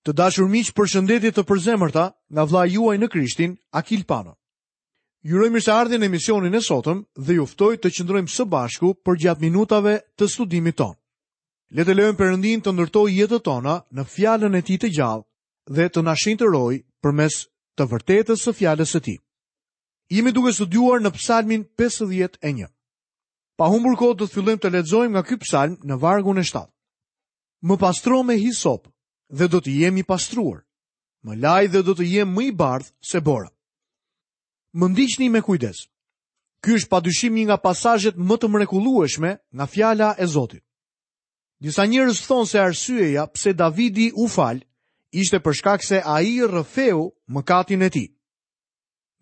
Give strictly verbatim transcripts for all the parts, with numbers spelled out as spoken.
Të dashur miq, përshëndetje të përzemërta nga vëllai juaj në Krishtin, Akil Pano. Ju uroj mirëseardhjen në emisionin e sotëm dhe ju ftoj të qëndrojmë së bashku përgjatë minutave të studimit tonë. Le të lejojmë Perëndin të ndërtojë jetët tona në fjalën e tij të gjallë dhe të na shenjtërojë përmes të vërtetës së fjalës së tij. Jemi duke studiuar në Psalmin pesëdhjetë e një. Pa humbur kohë do të fillojmë të lexojmë nga ky psalm në vargun e shtatë. Më pastro me hisop dhe do të jem i pastruar. Më laj dhe do të jem më i bardhë se bora. Më ndiqni me kujdes. Ky është padyshim një nga pasazhet më të mrekullueshme nga fjala e Zotit. Disa njerëz thonë se arsyeja pse Davidi u fal ishte për shkak se ai rrëfeu mëkatin e tij.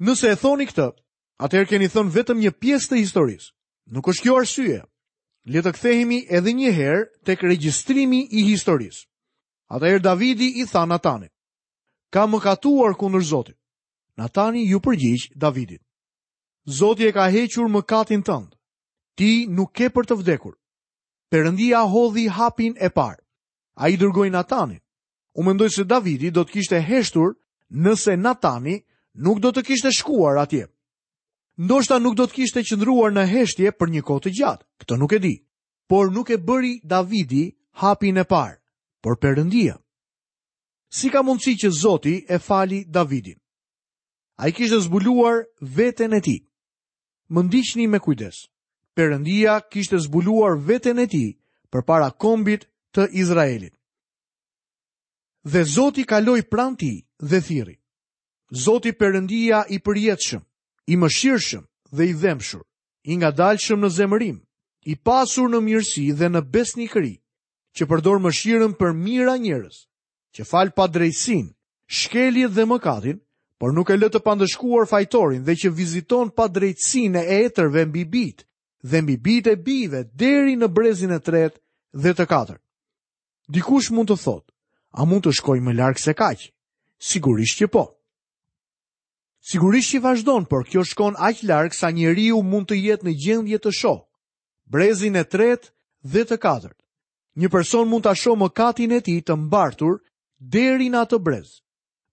Nëse e thoni këtë, atëherë keni thënë vetëm një pjesë të historisë. Nuk është kjo arsye. Le të kthehemi edhe një herë tek regjistrimi i historisë. Atëherë Davidi i tha Natanit: Ka mëkatuar kundër Zotit. Natani ju përgjigj Davidit: Zoti e ka hequr mëkatin tënd. Ti nuk ke për të vdekur. Perëndia hodhi hapin e parë. Ai dërgoi Natanin. U mendoj se Davidi do të kishte heshtur nëse Natani nuk do të kishte shkuar atje. Ndoshta nuk do të kishte qëndruar në heshtje për një kohë të gjatë, këtë nuk e di. Por nuk e bëri Davidi hapin e parë, por Perëndia. Si ka mundësi që Zoti e fali Davidin? Ai kishte zbuluar veten e tij. Më ndiqni me kujdes. Perëndia kishte zbuluar veten e tij përpara kombit të Izraelit. Dhe Zoti kaloi pranë tij dhe thirri: Zoti Perëndia i përjetshëm, i mëshirshëm dhe i dhembshur, i ngadalshëm në zemërim, i pasur në mirësi dhe në besnikëri, që përdor mëshirën për mijëra njerëz, që fal padrejtësinë, shkeljet dhe mëkatin, por nuk e lë të pandëshkuar fajtorin dhe që viziton padrejtësinë e etërve mbi bijt dhe mbi bijt e bijve deri në brezin e tretë dhe të katërt. Dikush mund të thotë, a mund të shkoj më larg se kaq? Sigurisht që po. Sigurisht që vazhdon, por kjo shkon aq larg sa njeriu mund të jetë në gjendje të shohë brezin e tretë dhe të katërt. Një person mund ta shohë mëkatin e tij të mbartur deri në atë brez.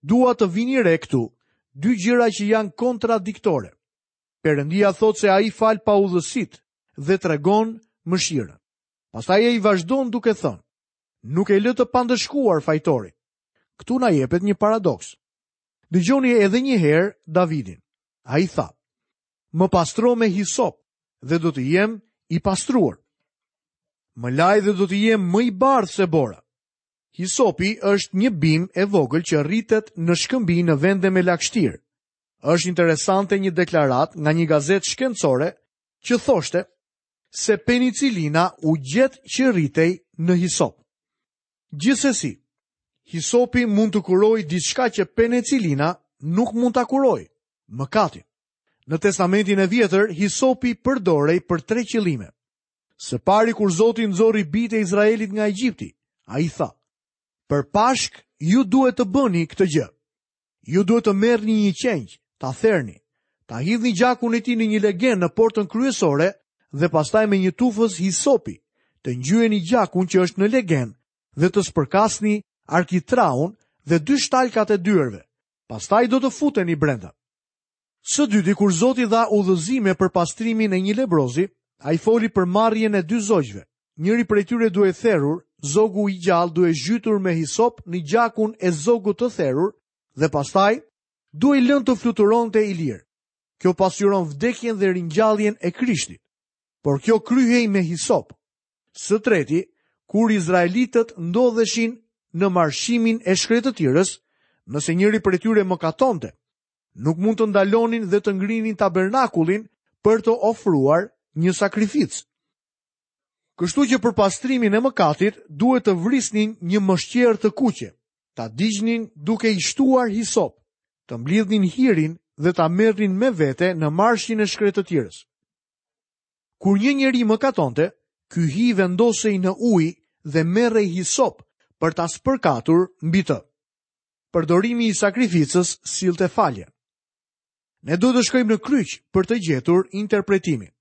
Dua të vini re këtu dy gjëra që janë kontradiktore. Perëndia thotë se ai fal paudhësitë dhe tregon mëshirën. Pastaj ai vazhdon duke thënë, nuk e lë të pandëshkuar fajtorin. Këtu na jepet një paradoks. Dëgjoni edhe një herë Davidin. Ai tha, më pastro me hisop dhe do të jem i pastruar. Më laj dhe do të jem më i bardhë se bora. Hisopi është një bimë e vogël që rritet në shkëmbi në vende me lagështirë. Është interesante një deklaratë nga një gazetë shkencore që thoshte se penicilina u gjet që rritej në hisop. Gjithsesi, hisopi mund të kurojë diçka që penicilina nuk mund ta kurojë, mëkatin. Në Testamentin e Vjetër, hisopi përdorej për tre qëllime. Së pari, kur Zoti nxori bijtë e Izraelit nga Egjipti, ai tha: Për Pashk ju duhet të bëni këtë gjë. Ju duhet të merrni një qengj, ta therni, ta hidhni gjakun e tij në një legen në portën kryesore dhe pastaj me një tufës hisopi të ngjyeni gjakun që është në legen dhe të spërkasni arkitraun dhe dy shtalkat e dyerve. Pastaj do të futeni brenda. Së dyti, kur Zoti dha udhëzime për pastrimin e një lebrozi, ai foli për marrjen e dy zogjve. Njëri prej tyre duhej therur, zogu i gjallë duhej zhytur me hisop në gjakun e zogut të therur dhe pastaj duhej lënë të fluturonte i lirë. Kjo pasqyron vdekjen dhe ringjalljen e Krishtit, por kjo kryhej me hisop. Së treti, kur izraelitët ndodheshin në marshimin e shkretëtirës, nëse njëri prej tyre mëkatonte, nuk mund të ndalonin dhe të ngrinin tabernakullin për të ofruar një sakrificë. Kështu që për pastrimin e mëkatit duhet të vrisnin një mëshqerë të kuqe, ta digjnin duke i shtuar hisop, të mblidhnin hirin dhe ta merrnin me vete në marshin e shkretëtirës. Kur një njeri mëkatonte, ky hi vendosej në ujë dhe merrej hisop për ta spërkatur mbi të. Përdorimi i sakrificës sillte falje. Ne duhet të shkojmë në kryq për të gjetur interpretimin.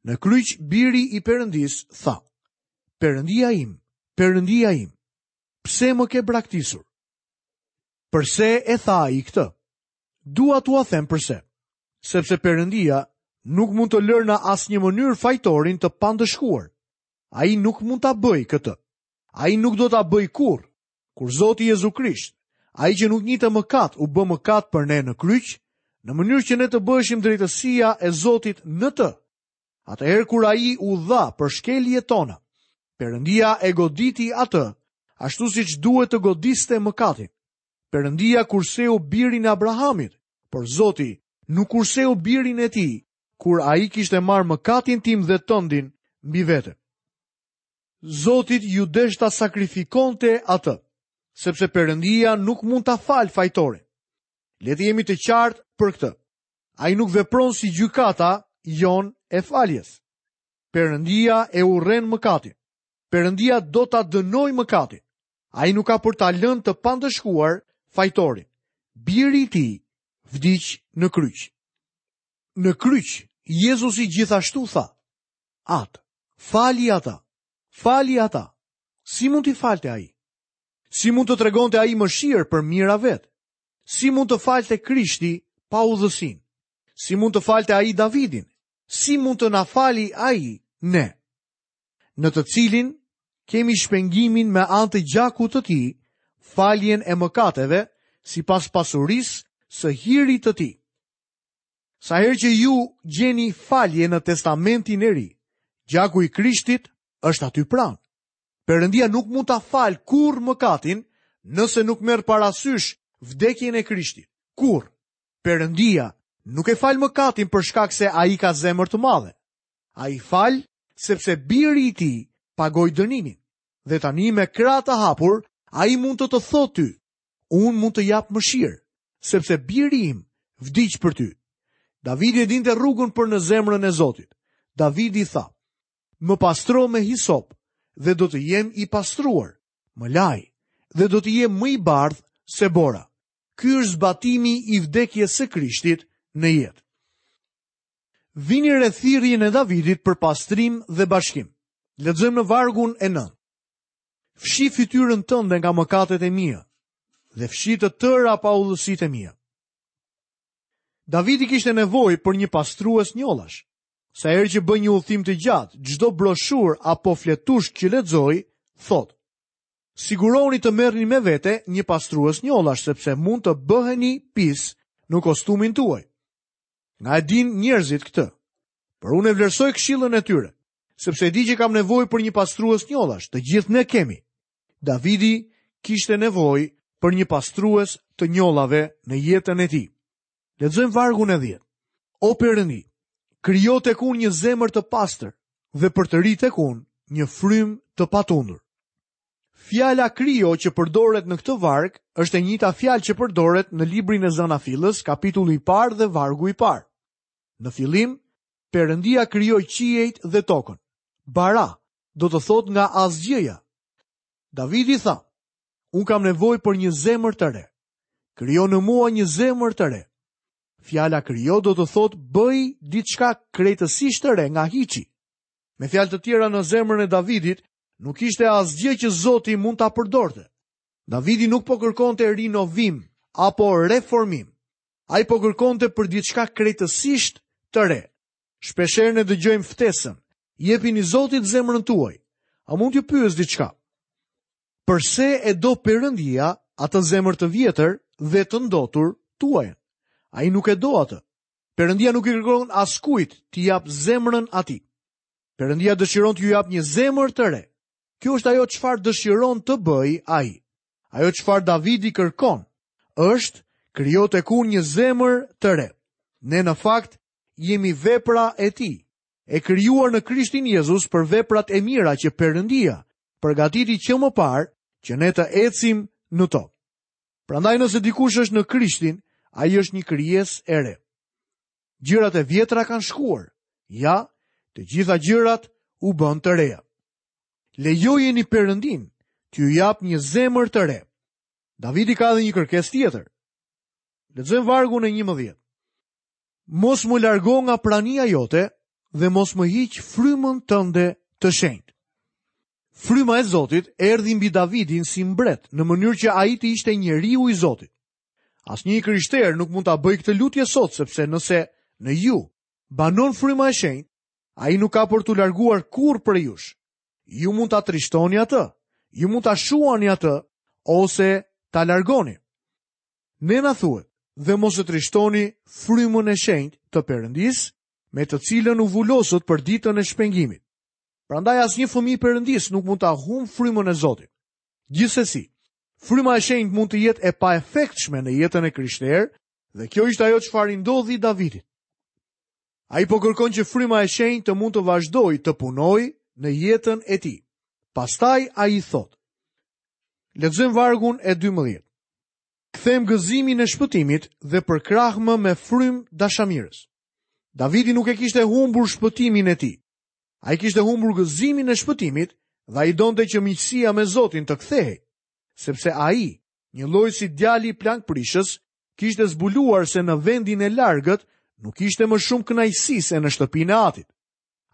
Në kryq biri i Perëndis tha: Perëndia im, Perëndia im, pse më ke braktisur? Përse e tha ai këtë? Dua t'ua them përse. Sepse Perëndia nuk mund të lërë në asnjë mënyrë fajtorin të pandëshkuar. Ai nuk mund ta bëjë këtë. Ai nuk do ta bëjë kurrë. Kur Zoti Jezu Krisht, ai që nuk njihte mëkat, u bë mëkat për ne në kryq, në mënyrë që ne të bëheshim drejtësia e Zotit në të. Atëherë kur ai u dha për shkeljet tona, Perëndia e goditi atë, ashtu siç duhet të godiste mëkatin. Perëndia kurseu birin e Abrahamit, por Zoti nuk kurseu birin e tij, kur ai kishte marrë mëkatin tim dhe tëndin mbi vete. Zotit ju desh ta sakrifikonte atë, sepse Perëndia nuk mund ta falë fajtorin. Le të jemi të qartë për këtë. Ai nuk vepron si gjykata jonë e faljes. Perëndia e urren mëkatin. Perëndia do ta dënojë mëkatin. Ai nuk ka për ta lënë të pandëshkuar fajtorin. Biri i tij vdiq në kryq. Në kryq, Jezusi gjithashtu tha: Atë, fali ata, fali ata. Si mund t'i falte ai? Si mund të tregonte ai mëshirë për mijëra vetë? Si mund të falte Krishti pa udhësinë? Si mund të falte ai Davidin? Si mund të na fali ai ne? Në të cilin kemi shpengimin me anë të gjakut të tij, faljen e mëkateve, sipas pasurisë së hirit të tij. Sa herë që ju gjeni falje në Testamentin e Ri, gjaku i Krishtit është aty pranë. Perëndia nuk mund ta falë kurrë mëkatin nëse nuk merr parasysh vdekjen e Krishtit. Kurrë. Perëndia nuk e fal mëkatin për shkak se ai ka zemër të madhe. Ai fal sepse biri i tij pagoi dënimin. Dhe tani me krah të hapur, ai mund të të thotë ty: unë mund të jap mëshirë, sepse biri im vdiq për ty. Davidi e dinte rrugën për në zemrën e Zotit. Davidi tha: më pastro me hisop dhe do të jem i pastruar, më laj dhe do të jem më i bardhë se bora. Ky është zbatimi i vdekjes së Krishtit në jetë. Vini re thirrjen e Davidit për pastrim dhe bashkim. Lexojmë në vargun e nëntë. Fshi fytyrën tënde nga mëkatet e mia dhe fshi të tëra paudhësitë e mia. Davidi kishte nevojë për një pastrues njollash. Sa herë që bën një udhtim të gjatë, çdo broshur apo fletushk që lexoj, thotë: siguroni të merrni me vete një pastrues njollash, sepse mund të bëheni pis në kostumin tuaj. Nga e din njerëzit këtë, por unë e vlerësoj këshillën e tyre, sepse e di që kam nevojë për një pastrues njollash, të gjithë ne kemi. Davidi kishte nevojë për një pastrues të njollave në jetën e tij. Lexojmë vargun e dhjetë. O Perëndi, krijo tek unë një zemër të pastër dhe përtëri tek unë një frymë të patundur. Fjala krijo që përdoret në këtë varg është e njëjta fjalë që përdoret në librin e Zanafillës, kapitulli i parë dhe vargu i parë. Në fillim, Perëndia krijoi qiejt dhe tokën. Bara do të thotë nga asgjëja. Davidi tha: unë kam nevojë për një zemër të re. Krijo në mua një zemër të re. Fjala krijo do të thotë bëj diçka krejtësisht të re nga hiçi. Me fjalë të tjera, në zemrën e Davidit nuk ishte asgjë që Zoti mund ta përdorte. Davidi nuk po kërkonte rinovim apo reformim. Ai po kërkonte për diçka krejtësisht të re. Shpeshherë ne dëgjojmë ftesën: jepini Zotit zemrën tuaj. A mund t'ju pyes diçka? Përse e do Perëndia atë zemër të vjetër dhe të ndotur tuajën? Ai nuk e do atë. Perëndia nuk i kërkon askujt t'i jap zemrën atij. Perëndia dëshiron t'ju jap një zemër të re. Kjo është ajo çfarë dëshiron të bëj ai. Ajo çfarë Davidi kërkon është krijo tek unë një zemër të re. Ne në fakt jemi vepra e tij, e krijuar në Krishtin Jezus për veprat e mira që Perëndia përgatiti që më parë që ne të ecim në to. Prandaj nëse dikush është në Krishtin, ai është një krijesë e re. Gjërat e vjetra kanë shkuar. Ja, të gjitha gjërat u bën të reja. Lejojeni Perëndin t'ju jap një zemër të re. Davidi ka edhe një kërkesë tjetër. Lexojmë vargun e njëmbëdhjetë. Mos më largo nga prania jote dhe mos më hiq frymën tënde të shenjtë. Fryma e Zotit erdhi mbi Davidin si mbret, në mënyrë që ai të ishte njeriu i Zotit. Asnjë i krishterë nuk mund ta bëjë këtë lutje sot, sepse nëse në ju banon fryma e shenjtë, ai nuk ka për t'u larguar kurrë prej jush. Ju mund ta trishtoni atë, ju mund ta shuani atë ose ta largoni. Ne na thuhet, dhe mos e trishtoni frymën e shenjtë të Perëndisë, me të cilën u vulosët për ditën e shpengimit. Prandaj asnjë fëmijë Perëndisë nuk mund ta humb frymën e Zotit. Gjithsesi, fryma e shenjtë mund të jetë e paefektshme në jetën e krishterë, dhe kjo ishte ajo çfarë i ndodhi Davidit. Ai po kërkon që fryma e shenjtë të mund të vazhdojë të punojë në jetën e tij. Pastaj ai thotë. Lexojmë vargun e dymbëdhjetë. Kthem gëzimin e shpëtimit dhe përkrahmë me frymë dashamirës. Davidi nuk e kishte humbur shpëtimin e tij. Ai kishte humbur gëzimin e shpëtimit dhe ai donte që miqësia me Zotin të kthehej, sepse ai, një lloj si djali i plankprishës, kishte zbuluar se në vendin e largët nuk ishte më shumë kënaqësi se në shtëpinë e atit.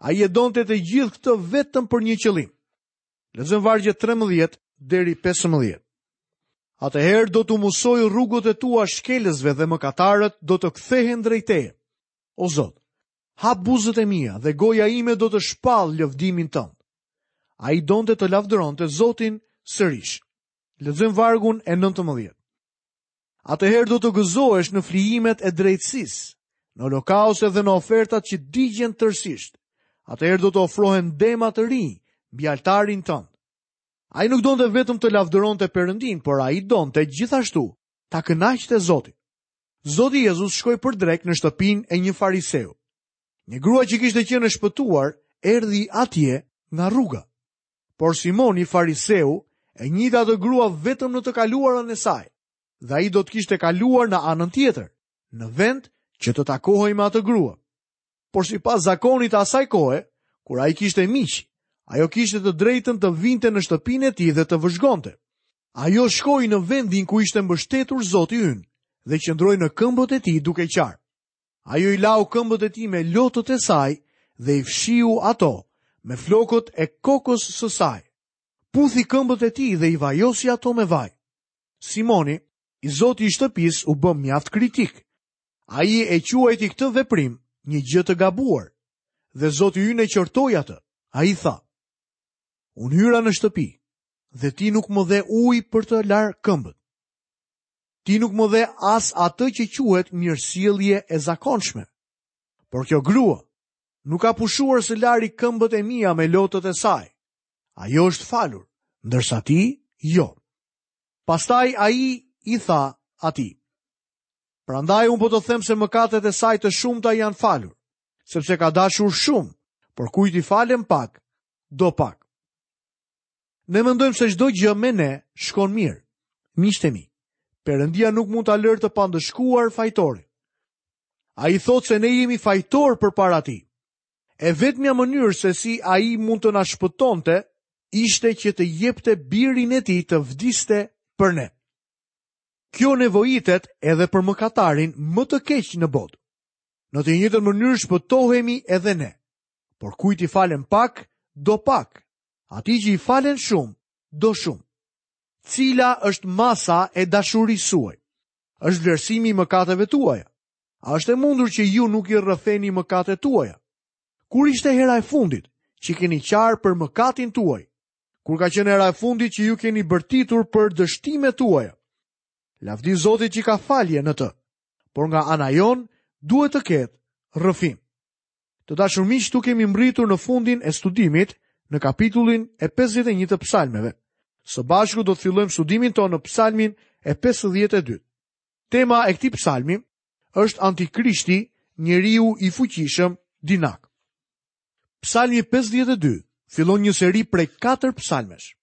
Ai e donte të gjithë këtë vetëm për një qëllim. Lexojmë vargjet trembëdhjetë deri pesëmbëdhjetë. Atëherë do t'u mësoj rrugët e tua shkelësve dhe mëkatarët do të kthehen drejt teje. O Zot, hap buzët e mia dhe goja ime do të shpall lëvdimin tënd. Ai donte të lavdëronte Zotin sërish. Lexojmë vargun e nëntëmbëdhjetë. Atëherë do të gëzohesh në flijimet e drejtësisë, në holokauste dhe në ofertat që digjen tërësisht. Atëherë do të ofrohen dema të rinj mbi altarin tënd. Ai nuk donte vetëm të lavdëronte Perëndin, por ai donte gjithashtu ta kënaqte Zotin. Zoti Jezus shkoi për drek në shtëpinë e një fariseu. Një grua që kishte qenë e shpëtuar erdhi atje nga rruga. Por Simoni fariseu e njihte atë grua vetëm në të kaluarën e saj, dhe ai do të kishte kaluar në anën tjetër, në vend që të takohej me atë grua. Por sipas zakonit të asaj kohe, kur ai kishte miq, ajo kishte të drejtën të vinte në shtëpinë e tij dhe të vëzhgonte. Ajo shkoi në vendin ku ishte mbështetur Zoti ynë dhe qëndroi në këmbët e tij duke qarë. Ajo i lau këmbët e tij me lotët e saj dhe i fshiu ato me flokët e kokës së saj. Puthi këmbët e tij dhe i vajosi ato me vaj. Simoni, i zoti i shtëpisë, u bë mjaft kritik. Ai e quajti këtë veprim një gjë të gabuar dhe Zoti ynë e qortoi atë. Ai tha: Unë hyra në shtëpi dhe ti nuk më dhe ujë për të larë këmbët. Ti nuk më dhe as atë që quhet mirësjellje e zakonshme. Por kjo grua nuk ka pushuar së lari këmbët e mia me lotët e saj. Ajo është falur, ndërsa ti jo. Pastaj ai i tha atij: Prandaj unë po të them se mëkatet e saj të shumta janë falur, sepse ka dashur shumë, por kujt i falen pak, do pak. Ne mendojmë se çdo gjë me ne shkon mirë. Miqtë e mi, Perëndia nuk mund ta lërë të pandëshkuar fajtorin. Ai thotë se ne jemi fajtor përpara tij. E vetmja mënyrë se si ai mund të na shpëtonte ishte që të jepte birin e tij të vdiste për ne. Kjo nevojitet edhe për mëkatarin më të keq në botë. Në të njëjtën mënyrë shpëtohemi edhe ne. Por kujt i falen pak, do pak. Atij që i falen shumë, do shumë. Cila është masa e dashurisë suaj? Është vlerësimi i mëkateve tuaja. A është e mundur që ju nuk i rrëfeni mëkatet tuaja? Kur ishte hera e fundit që keni qarë për mëkatin tuaj? Kur ka qenë hera e fundit që ju keni bërtitur për dështimet tuaja? Lavdi Zotit që ka falje në të, por nga ana jonë duhet të ketë rrëfim. Të dashur miq, këtu kemi mbritur në fundin e studimit në kapitullin e pesëdhjetë e një të psalmeve. Së bashku do të fillojmë studimin tonë në psalmin e pesëdhjetë e dy. Tema e këtij psalmi është Antikrishti, njeriu i fuqishëm dinak. Psalmi pesëdhjetë e dy fillon një seri prej katër psalmesh.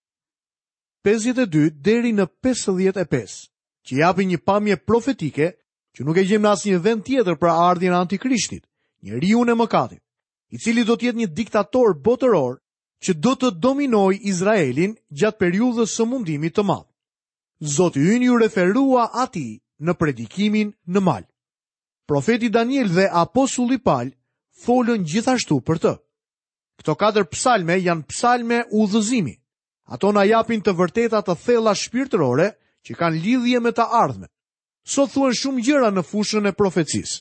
pesëdhjetë e dy deri në pesëdhjetë e pesë, që japin një pamje profetike që nuk e gjejmë në asnjë vend tjetër për ardhjen e Antikrishtit, njeriu e mëkatit, i cili do të jetë një diktator botëror që do të dominojë Izraelin gjatë periudhës së mundimit të madh. Zoti ynë ju referua atij në predikimin në mal. Profeti Daniel dhe apostulli Paul folën gjithashtu për të. Këto katër psalme janë psalme udhëzimi. Ato na japin të vërteta të thella shpirtërore që kanë lidhje me të ardhmen. Sot thuhen shumë gjëra në fushën e profecisë.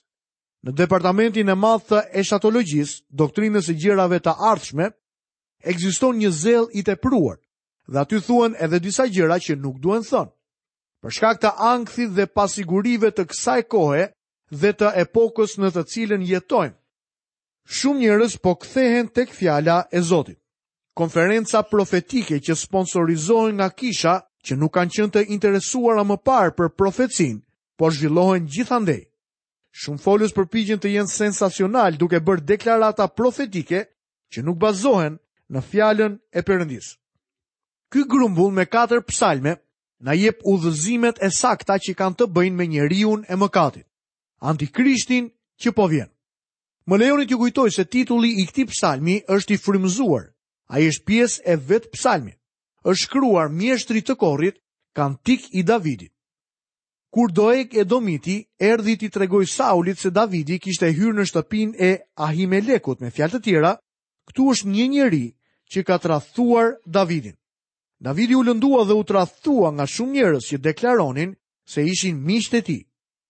Në departamentin e madh të eshatologjisë, doktrinës së gjërave të ardhshme, ekziston një zell i tepruar dhe aty thuhen edhe disa gjëra që nuk duhen thënë. Për shkak të ankthit dhe pasigurive të kësaj kohe dhe të epokës në të cilën jetojmë, shumë njerëz po kthehen tek fjala e Zotit. Konferenca profetike që sponsorizohen nga kisha që nuk kanë qenë të interesuara më parë për profecinë, po zhvillohen gjithandej. Shumë folës përpiqen të jenë sensacional duke bërë deklarata profetike që nuk bazohen në fjalën e Perëndisë. Ky grumbull me katër psalme na jep udhëzimet e sakta që kanë të bëjnë me njeriun e mëkatit, antikrishtin që po vjen. Më lejoni t'ju kujtoj se titulli i këtij psalmi është i frymëzuar. Ai është pjesë e vetë psalmit. Është shkruar mjeshtrit të korit, kantik i Davidit. Kur Doeg Edomiti erdhi t'i tregoj Saulit se Davidi kishte hyrë në shtëpinë e Ahimelekut, me fjalë të tjera, këtu është një njeri që ka tradhtuar Davidin. Davidi u lëndua dhe u tradhtua nga shumë njerëz që deklaronin se ishin miqtë e tij.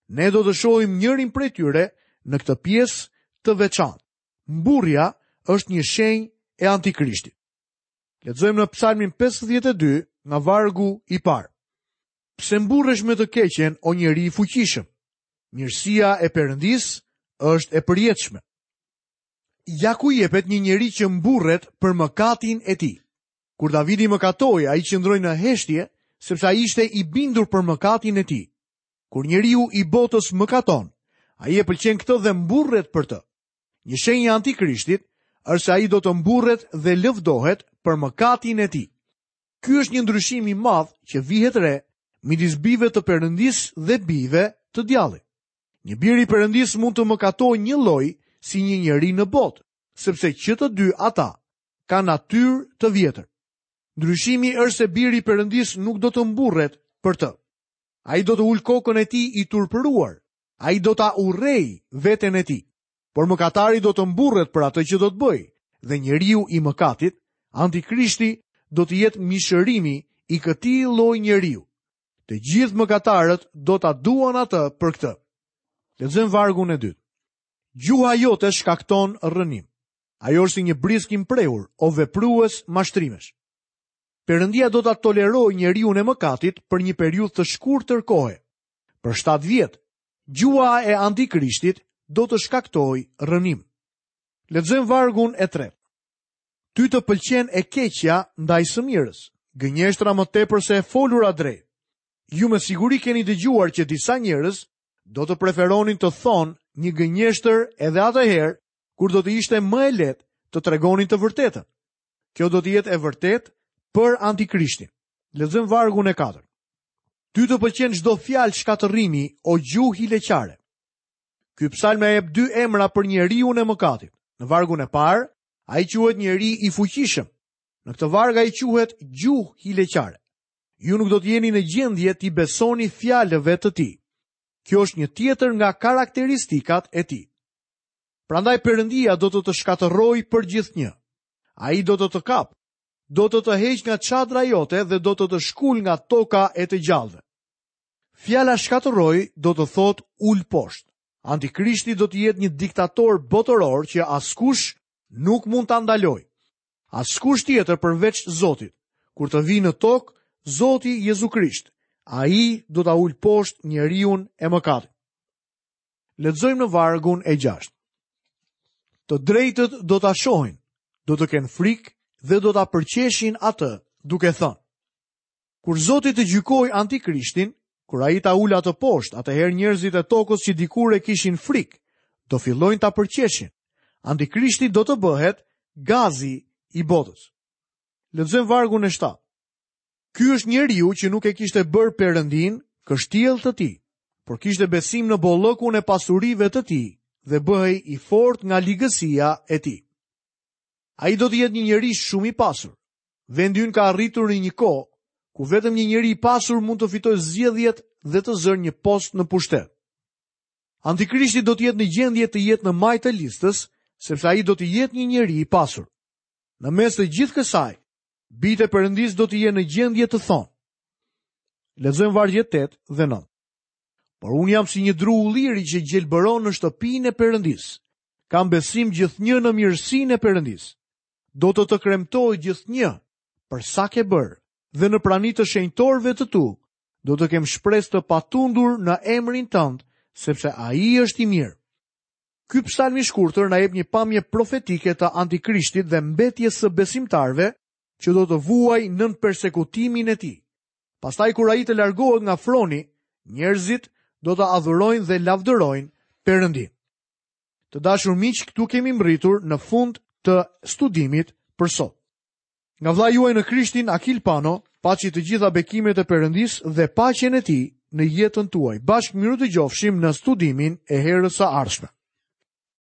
Ne do të shohim njërin prej tyre në këtë pjesë të veçantë. Mburrja është një shenjë e antikrishtit. Lexojmë në Psalmin pesëdhjetë e dy nga vargu i parë. Pse mburresh me të keqen, o njeri i fuqishëm? Mirësia e Perëndisë është e përjetshme. Ja ku jepet një njeri që mburret për mëkatin e tij. Kur Davidi mëkatoi, ai qëndroi në heshtje, sepse ai ishte i bindur për mëkatin e tij. Kur njeriu i botës mëkaton, ai e pëlqen këtë dhe mburret për të. Një shenjë e antikrishtit është se ai do të mburret dhe lëvdohet për mëkatin e tij. Ky është një ndryshim i madh që vihet re midis bijve të Perëndisë dhe bijve të djallit. Një bir i Perëndisë mund të mëkatojë një lloj si një njeri në botë, sepse që të dy ata kanë natyrë të vjetër. Ndryshimi është se biri i Perëndisë nuk do të mburret për të. Ai do të ul kokën e tij i turpëruar. Ai do ta urrej veten e tij. Por mëkatari do të mburret për atë që do të bëjë, dhe njeriu i mëkatit, antikrishti, do të jetë mishërimi i këtij lloj njeriu. Të gjithë mëkatarët do ta duan atë për këtë. Lexojmë vargun e dytë. Gjuha jote shkakton rrënim. Ajo është si një brisk i mprehur, o veprues mashtrimesh. Perëndia do ta tolerojë njeriun e mëkatit për një periudhë të shkurtër kohe. Për shtatë vjet, gjuha e antikrishtit do të shkaktojë rrënim. Lexojmë vargun e tretë. Ty të pëlqen e keqja ndaj së mirës, gënjeshtra më tepër se e folura drejt. Ju me siguri keni dëgjuar që disa njerëz do të preferonin të thonë një gënjeshtër edhe atëherë kur do të ishte më e lehtë të tregonin të vërtetën. Kjo do të jetë e vërtetë për antikrishtin. Lexojmë vargun e katërt. Ty të pëlqen çdo fjalë shkatërrimi, o gjuhë hileqare. Ky psalm na jep dy emra për njeriun e mëkatit. Në vargun e parë, ai quhet njeri i fuqishëm. Në këtë varg ai quhet gjuhë hileqare. Ju nuk do të jeni në gjendje t'i besoni fjalëve të tij. Kjo është një tjetër nga karakteristikat e tij. Prandaj Perëndia do të të shkatërrojë për gjithnjë. Ai do të të kap, do të të heq nga çadra jote dhe do të të shkul nga toka e të gjallëve. Fjala shkatërroj do të thotë ul poshtë. Antikrishti do të jetë një diktator botëror që askush nuk mund ta ndalojë. Askush tjetër përveç Zotit. Kur të vijë në tokë Zoti Jezu Krisht, ai do ta ul poshtë njeriun e mëkatit. Lexojmë në vargun e gjashtë. Të drejtët do ta shohin, do të kenë frikë dhe do ta përqeshin atë, duke thënë: Kur Zoti të gjykojë antikrishtin, kur ai ta ul atë poshtë, atëherë njerëzit e tokës që dikur e kishin frikë, do fillojnë ta përqeshin. Antikrishti do të bëhet gazi i botës. Lexojmë vargun e shtatë. Ky është njeriu që nuk e kishte bërë Perëndin kështjell të tij, por kishte besim në bollëkun e pasurive të tij dhe bëhej i fortë nga ligësia e tij. Ai do të jetë një njeri shumë i pasur. Vendi ynë ka arritur në një kohë ku vetëm një njeri i pasur mund të fitojë zgjedhjet dhe të zërë një post në pushtet. Antikrishti do të jetë në gjendje të jetë në majë të listës, sepse ai do të jetë një njeri i pasur. Në mes të gjithë kësaj, bijtë e Perëndisë do të jenë në gjendje të thonë. Lexojmë vargjet tetë dhe nëntë. Por unë jam si një dru ulliri që gjelbëron në shtëpinë e Perëndisë. Kam besim gjithnjë në mirësinë e Perëndisë. Do të të kremtoj gjithnjë për sa ke bërë dhe në prani të shenjtorëve të tu do të kem shpresë të patundur në emrin tënd, sepse ai është i mirë. Ky psalm i shkurtër na jep një pamje profetike të antikrishtit dhe mbetjes së besimtarëve që do të vuajë nën persekutimin e tij. Pastaj kur ai të largohet nga froni, njerëzit do të adhurojnë dhe lavdërojnë Perëndin. Të dashur miq, këtu kemi mbërritur në fund të studimit për sot. Nga vëllai juaj në Krishtin, Akil Pano, paçi të gjitha bekimet e Perëndisë dhe paqen e tij në jetën tuaj. Bashkë mirudëgjofshim në studimin e herës së ardhshme.